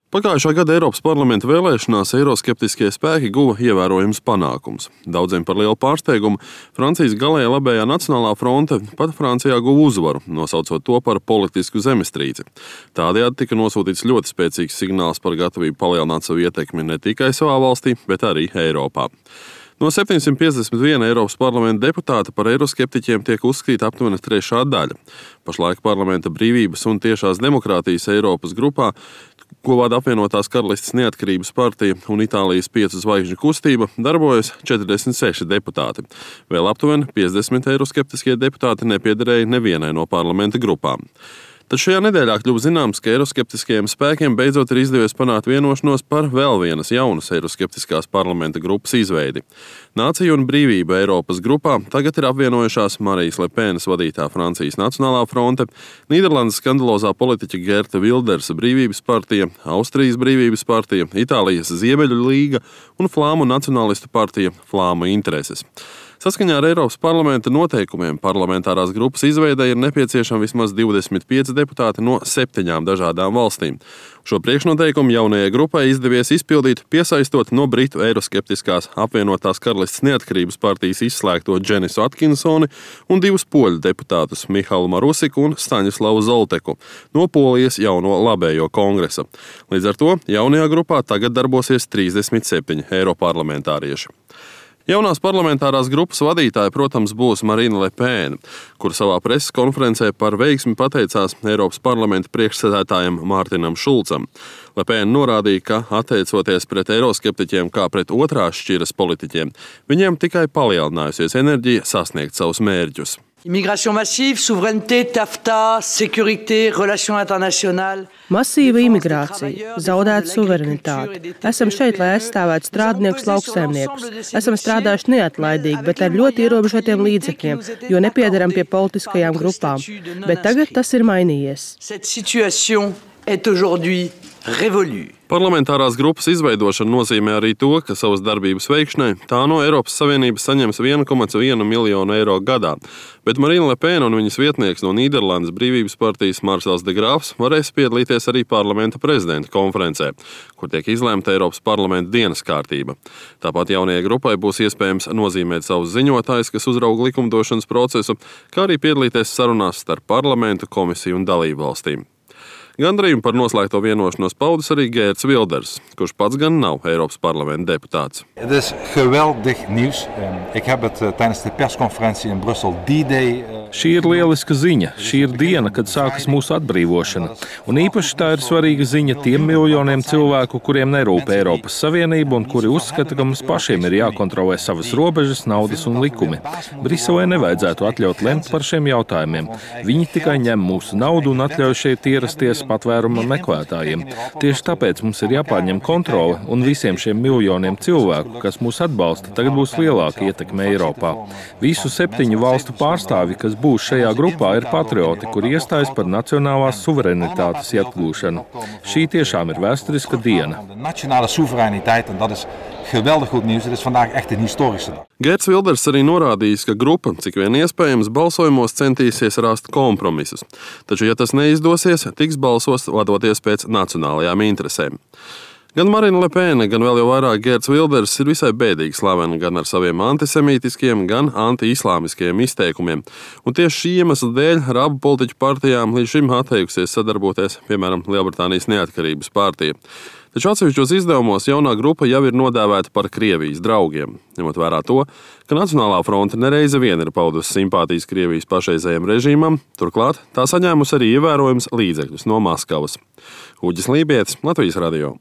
Pagājušā gada Eiropas parlamenta vēlēšanās eiroskeptiskie spēki guva ievērojams panākums. Daudziem par lielu pārsteigumu Francijas galēja labējā Nacionālā fronte pat Francijā guva uzvaru, nosaucot to par politisku zemestrīci. Tādējādi tika nosūtīts ļoti spēcīgs signāls par gatavību palielināt savu ietekmi ne tikai savā valstī, bet arī Eiropā. No 751 Eiropas parlamenta deputāta par eiroskeptiķiem tiek uzskatīta aptuveni trešā daļa. Pašlaik parlamenta brīvības un tiešās demokrātijas Eiropas grupā, ko vada apvienotās Karalistes Neatkarības partija un Itālijas 5 zvaigžņu kustība, darbojas 46 deputāti. Vēl aptuveni 50 eiroskeptiskie deputāti nepiederēja nevienai no parlamenta grupām. Tad šajā nedēļā kļuva zināms, ka eiroskeptiskajiem spēkiem beidzot ir izdevies panākt vienošanos par vēl vienas jaunas eiroskeptiskās parlamenta grupas izveidi. Nāciju un brīvību Eiropas grupā tagad ir apvienojušās Marijas Le Penas vadītā Francijas Nacionālā fronte, Nīderlandes skandalozā politiķa Geerta Wildersa Brīvības partija, Austrijas Brīvības partija, Itālijas Ziemeļu līga un Flāmu nacionālistu partija Flāmu intereses. Saskaņā ar Eiropas parlamenta noteikumiem parlamentārās grupas izveidei ir nepieciešami vismaz 25 deputāti no 7 dažādām valstīm. Šo priekšnoteikumu jaunajai grupai izdevies izpildīt, piesaistot no Britu eiroskeptiskās apvienotās Karalistes Neatkarības partijas izslēgto Dženisu Atkinsoni un 2 poļu deputātus Mihalu Marusiku un Staņislavu Zolteku no Polijas jauno labējo kongresa. Līdz ar to jaunajā grupā tagad darbosies 37 eiroparlamentārieši. Jaunās parlamentārās grupas vadītāja, protams, būs Marine Le Pen, kur savā preses konferencē par veiksmi pateicās Eiropas parlamenta priekšsēdētājam Mārtinam Šulcam. Le Pen norādīja, ka attiecoties pret eiroskeptiķiem kā pret otrās šķiras politiķiem, viņiem tikai palielinājusies enerģija sasniegt savus mērķus. Immigration massive, souveraineté, TAFTA, sécurité, relations internationales. Masīva imigrācija, zaudēta suverenitāte. Esam šeit, lai aizstāvētu strādniekus, lauksaimniekus. Esam strādājuši neatlaidīgi, bet ar ļoti ierobežotiem līdzekļiem, jo nepiedaram pie politiskajām grupām. Bet tagad tas ir mainījies. Cette situation est aujourd'hui révolue. Parlamentārās grupas izveidošana nozīmē arī to, ka savas darbības veikšanai tā no Eiropas Savienības saņems 1,1 miljonu eiro gadā, bet Marine Le Pen un viņas vietnieks no Nīderlandes Brīvības partijas Marsels de Grāfs varēs piedalīties arī parlamenta prezidenta konferencē, kur tiek izlēmta Eiropas parlamenta dienas kārtība. Tāpat jaunajai grupai būs iespējams nozīmēt savus ziņotājus, kas uzrauga likumdošanas procesu, kā arī piedalīties sarunās starp parlamentu, komisiju un dalību valstīm. Gandarījumu par noslēgto vienošanos paudis arī Geerts Wilders, kurš pats gan nav Eiropas parlamenta deputāts. Het is geweldig nieuws. Ik heb het tijdens de persconferentie in Brussel D-Day. Šī ir lieliska ziņa. Šī ir diena, kad sākas mūsu atbrīvošana. Un īpaši tā ir svarīga ziņa tiem miljoniem cilvēku, kuriem nerūp Eiropas Savienība un kuri uzskata, ka mums pašiem ir jākontrolē savas robežas, naudas un likumi. Briselē nevajadzētu atļaut lemt par šiem jautājumiem. Viņi tikai ņem mūsu naudu un atļauj šeit ierasties patvēruma meklētājiem. Tieši tāpēc mums ir jāpārņem kontrole un visiem šiem miljoniem cilvēku, kas mūs atbalsta, tagad būs lielāka ietekme Eiropā. Visu 7 valstu pārstāvji, kas būs šajā grupā, ir patrioti, kuri iestājas par nacionālās suverenitātes atgūšanu. Šī tiešām ir vēsturiska diena. Nationale soevereiniteit, en dat is geweldig goed nieuws. Het is vandaag echt een historische dag. Geerts Wilders arī norādījis, ka grupa, cik vien iespējams, balsojumos centīsies rast kompromisus. Taču, ja tas neizdosies, tiks balsos vadoties pēc nacionālajām interesēm. Gan Marine Le Pen, gan vēl jau vairāk Geerts Wilders ir visai bēdīgi slaveni gan ar saviem antisemītiskiem, gan anti-islāmiskiem izteikumiem. Un tieši šī iemesla dēļ ar abu politiķu partijām līdz šim atteikusies sadarboties, piemēram, Lielbritānijas Neatkarības partija. Taču atsevišķos izdevumos jaunā grupa jau ir nodēvēta par Krievijas draugiem, ņemot vērā to, ka Nacionālā fronte nereize vien ir paudusi simpātijas Krievijas pašreizējam režīmam, turklāt tā saņēmusi arī ievērojams līdzekļus no Maskavas. Uģis Lībietis, Latvijas radio.